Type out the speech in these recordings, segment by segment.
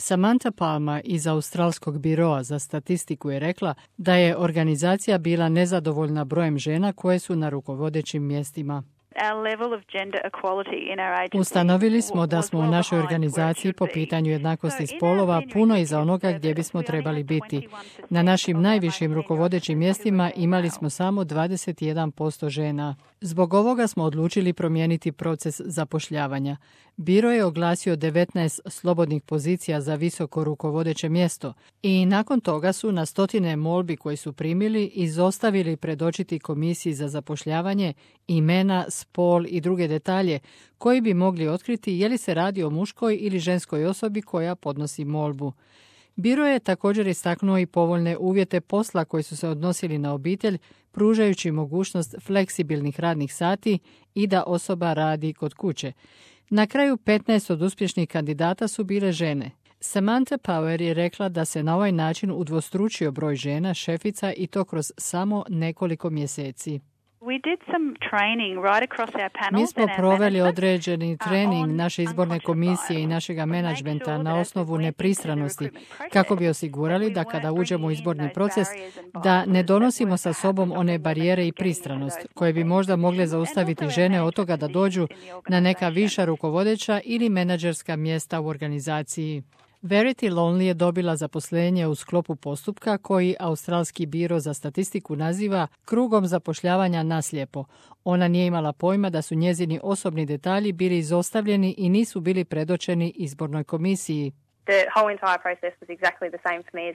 Samantha Palmer iz Australskog biroa za statistiku je rekla da je organizacija bila nezadovoljna brojem žena koje su na rukovodećim mjestima. Ustanovili smo da smo u našoj organizaciji po pitanju jednakosti spolova puno iza onoga gdje bismo trebali biti. Na našim najvišim rukovodećim mjestima imali smo samo 21% žena. Zbog ovoga smo odlučili promijeniti proces zapošljavanja. Biro je oglasio 19 slobodnih pozicija za visoko rukovodeće mjesto i nakon toga su na stotine molbi koji su primili izostavili predočiti komisiji za zapošljavanje imena, spol i druge detalje koji bi mogli otkriti je li se radi o muškoj ili ženskoj osobi koja podnosi molbu. Biro je također istaknuo i povoljne uvjete posla koji su se odnosili na obitelj, pružajući mogućnost fleksibilnih radnih sati i da osoba radi kod kuće. Na kraju 15 od uspješnih kandidata su bile žene. Samantha Power je rekla da se na ovaj način udvostručio broj žena šefica i to kroz samo nekoliko mjeseci. Mi smo proveli određeni trening naše izborne komisije i našega menadžmenta na osnovu nepristranosti, kako bi osigurali da kada uđemo u izborni proces, da ne donosimo sa sobom one barijere i pristranost, koje bi možda mogle zaustaviti žene od toga da dođu na neka viša rukovodeća ili menadžerska mjesta u organizaciji. Verity Lonely je dobila zaposlenje u sklopu postupka koji Australski biro za statistiku naziva krugom zapošljavanja naslijepo. Ona nije imala pojma da su njezini osobni detalji bili izostavljeni i nisu bili predočeni izbornoj komisiji.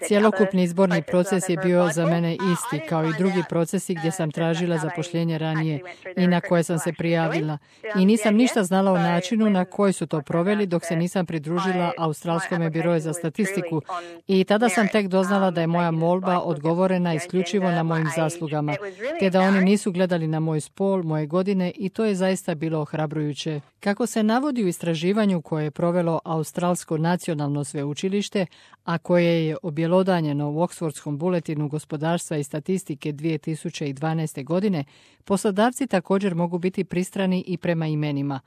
Cjelokupni izborni proces je bio za mene isti, kao i drugi procesi gdje sam tražila zapošljenje ranije i na koje sam se prijavila. I nisam ništa znala o načinu na koji su to proveli dok se nisam pridružila Australskome biroju za statistiku i tada sam tek doznala da je moja molba odgovorena isključivo na mojim zaslugama, te da oni nisu gledali na moj spol, moje godine i to je zaista bilo ohrabrujuće. Kako se navodi u istraživanju koje je provelo Australsko nacionalno sveučilište, a koje je objelodanjeno u Oxfordskom buletinu gospodarstva i statistike 2012. godine, poslodavci također mogu biti pristrani i prema imenima.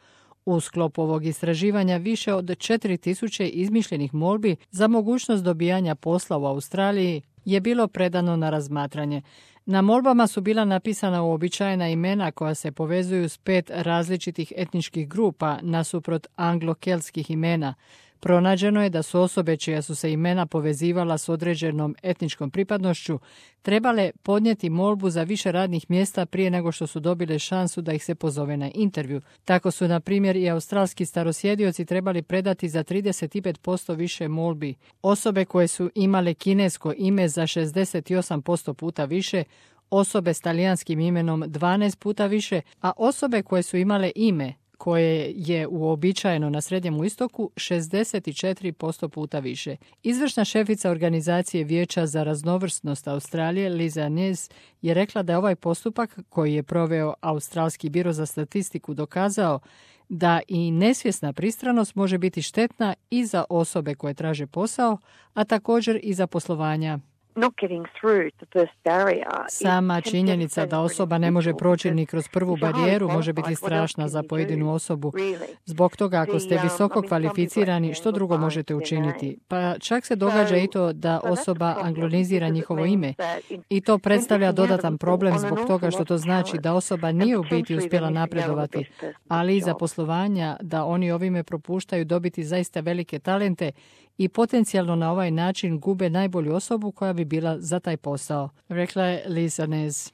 U sklopu ovog istraživanja više od 4000 izmišljenih molbi za mogućnost dobijanja posla u Australiji je bilo predano na razmatranje. Na molbama su bila napisana uobičajena imena koja se povezuju s 5 različitih etničkih grupa nasuprot anglo-keltskih imena. Pronađeno je da su osobe čija su se imena povezivala s određenom etničkom pripadnošću trebale podnijeti molbu za više radnih mjesta prije nego što su dobile šansu da ih se pozove na intervju. Tako su, na primjer, i australski starosjedioci trebali predati za 35% više molbi. Osobe koje su imale kinesko ime za 68% puta više, osobe s talijanskim imenom 12 puta više, a osobe koje su imale ime koje je uobičajeno na Srednjem istoku 64% puta više. Izvršna šefica organizacije Vijeća za raznovrsnost Australije, Liza Nez, je rekla da je ovaj postupak koji je proveo Australski biro za statistiku dokazao da i nesvjesna pristranost može biti štetna i za osobe koje traže posao, a također i za poslovanja. Sama činjenica da osoba ne može proći ni kroz prvu barijeru može biti strašna za pojedinu osobu. Zbog toga, ako ste visoko kvalificirani, što drugo možete učiniti? Pa čak se događa i to da osoba anglonizira njihovo ime. I to predstavlja dodatan problem zbog toga što to znači da osoba nije u biti uspjela napredovati, ali i za poslovanja da oni ovime propuštaju dobiti zaista velike talente i potencijalno na ovaj način gube najbolju osobu koja bi bila za taj posao, rekla je Liza Nez.